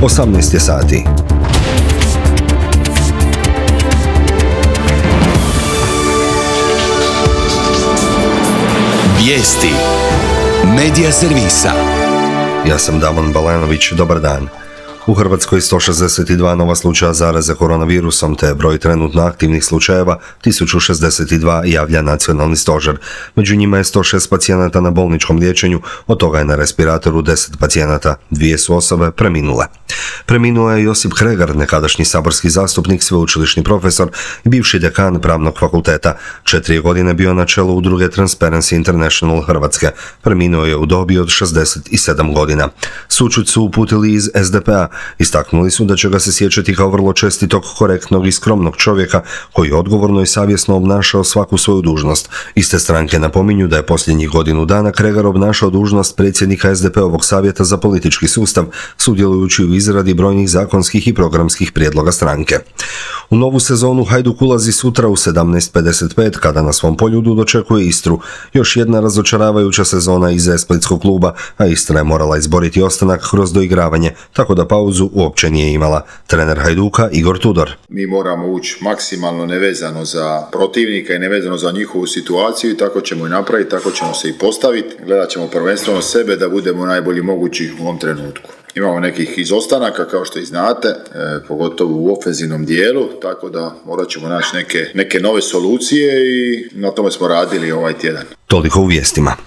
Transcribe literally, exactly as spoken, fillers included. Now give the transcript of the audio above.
osamnaest je sati. Vijesti Medija servisa. Ja sam Damon Balanović, dobar dan. U Hrvatskoj sto šezdeset dva nova slučaja zaraze koronavirusom, te broj trenutno aktivnih slučajeva tisuću šezdeset dva, javlja nacionalni stožer. Među njima je sto šest pacijenata na bolničkom liječenju, od toga je na respiratoru deset pacijenata, dvije su osobe preminule. Preminuo je Josip Kregar, nekadašnji saborski zastupnik, sveučilišni profesor i bivši dekan Pravnog fakulteta. Četiri godine bio na čelu udruge Transparency International Hrvatske. Preminuo je u dobi od šezdeset sedam godina. Sućut su uputili iz es de pe a. Istaknuli su da će ga se sjećati kao vrlo čestitog, korektnog i skromnog čovjeka koji je odgovorno i savjesno obnašao svaku svoju dužnost. Iste stranke napominju da je posljednjih godinu dana Kregar obnašao dužnost predsjednika es de pe ovog savjeta za politički sustav, sudjelujući u izradi brojnih zakonskih i programskih prijedloga stranke. U novu sezonu Hajduk ulazi sutra u sedamnaest pedeset pet kada na svom poljudu dočekuje Istru. Još jedna razočaravajuća sezona iza splitskog kluba, a Istra je morala izboriti ostanak kroz doigravanje, tako da pauzu uopće nije imala. Trener Hajduka Igor Tudor. Mi moramo ući maksimalno nevezano za protivnika i nevezano za njihovu situaciju i tako ćemo i napraviti, tako ćemo se i postaviti. Gledat ćemo prvenstveno sebe da budemo najbolji mogući u ovom trenutku. Imamo nekih izostanaka, kao što i znate, e, pogotovo u ofenzivnom dijelu, tako da morat ćemo naći neke, neke nove solucije i na tome smo radili ovaj tjedan. Toliko u vijestima.